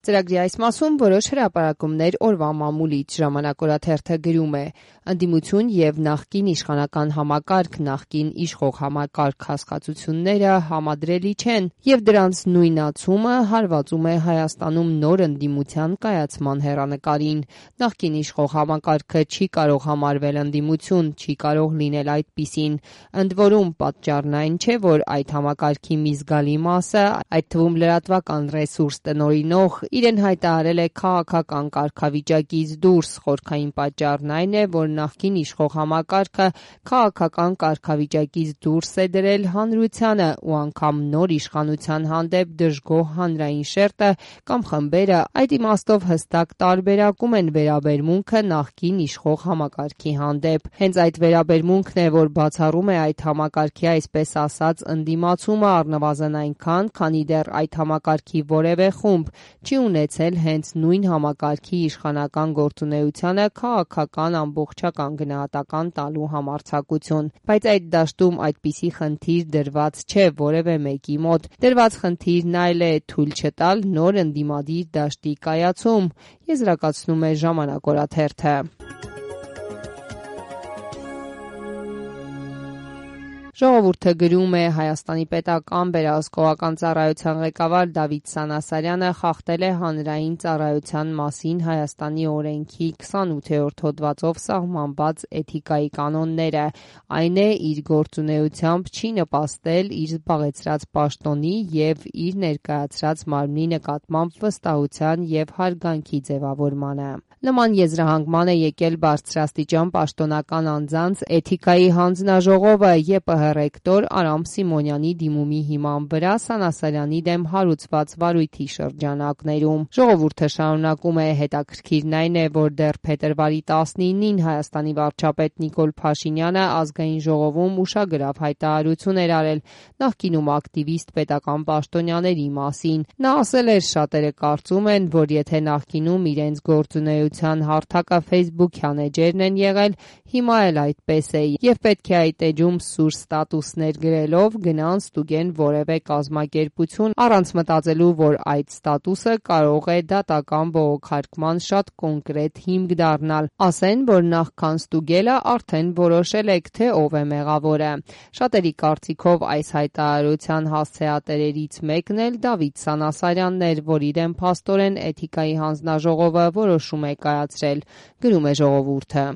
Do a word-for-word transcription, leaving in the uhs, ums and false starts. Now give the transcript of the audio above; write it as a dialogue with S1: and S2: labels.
S1: Ծրագրի այս մասում որոշ հրապարակումներ օրվա մամուլից ժամանակ օրաթերթը գրում է. ընդդիմություն եւ նախկին իշխանական համակարգ, նախկին իշխող համակարգ հասկացությունները համադրելի չեն եւ դրանց նույնացումը հարվածում է Հայաստանում նոր ընդդիմության կայացման հեռանկարին։ Նախկին իշխող համակարգը չի կարող համարվել ընդդիմություն, չի կարող լինել այդպիսին։ Ընդ որում պատճառն այն չէ, որ այդ համակարգի մի զգալի մասը, այդ թվում լրատվական ռեսուրս տնօրինող, իրեն հայտարարել է քաղաքական կարգավիճակից դուրս։ Խորքային պատճառն այն է, որ նախկին իշխող համակարգը քաղաքական կարգավիճակից դուրս է դրել հանրությանը ու անգամ նոր իշխանության հանդեպ դժգոհ հանրային շերտը կամ խմբերը այդ իմաստով հստակ տարբերակում են վերաբերմունքը նախկին իշխող համակարգի հանդեպ։ Հենց այդ վերաբերմունքն է, որ բացառում է այդ համակարգի այսպես ասած ընդդիմացումը առնվազն այնքան, քանի դեռ այդ համակարգի որևէ խումբ չի ունեցել հենց նույն համակարգի իշխանական գործունեությանը քաղաքական ամբողջական գնահատական տալու համարձակություն։ Բայց այդ դաշտում այդպիսի խնդիր դրված չէ որևէ մեկի մոտ։ Դրված խնդիրն այլ է՝ թույլ չտալ նոր ընդդիմադիր դաշտի կայացում, եզրակացնում է Ժամանակ օրաթերթը։ Ժողովուրդը գրում է. Հայաստանի պետական վերահսկողական ծառայության ղեկավար Դավիթ Սանասարյանը խախտել է հանրային ծառայության մասին Հայաստանի օրենքի քսանութերորդ հոդվածով սահմանված էթիկայի կանոնները, այն է իր գործունեությամբ չի նպաստել իր զբաղեցրած պաշտոնի և իր ներկայացրած մարմնի նկատմամբ վստահության և հարգանքի ձևավորմանը։ Նման եզրահանգման է եկել բարձրաստիճան պաշտոնական անձանց էթիկայի հանձնաժողովը ԵՊՀ ռեկտոր Արամ Սիմոնյանի դիմումի հիման վրա Սանասարյանի դեմ հարուցված վարույթի շրջանակներում։ Ժողովուրդը շարունակում է. հետաքրքիրն այն է, որ դեռ փետրվարի տասնինին Հայաստանի վարչապետ Նիկոլ Փաշինյանը ազգային ժողովում ուշագրավ հայտարարություն էր արել նախկինում ակտիվիստ պետական պաշտոնյաների մասին։ Նա ասել էր. շատերը կարծում են, որ եթե նախկինում իրենց գործունեության հարթակը ֆեյսբուքյան էջերն են եղել, հիմա էլ այդպես է եւ պետք է այդ էջում սուր ստատուսներ գրելով գնան ստուգեն որևէ կազմակերպություն առանց մտածելու, որ այդ ստատուսը կարող է դատական բողոքարկման շատ կոնկրետ հիմք դառնալ, ասեն, որ նախքան ստուգելը արդեն որոշել եք, թե ով է մեղավորը։ Շատերի կարծիքով այս հայտարարության հասցեատերերից մեկն էլ Դավիթ Սանասարյանն էր, որ իրեն փաստորեն էթիկայի հանձնաժողովը որոշում է կայացրել, գրում է Ժողովուրդը։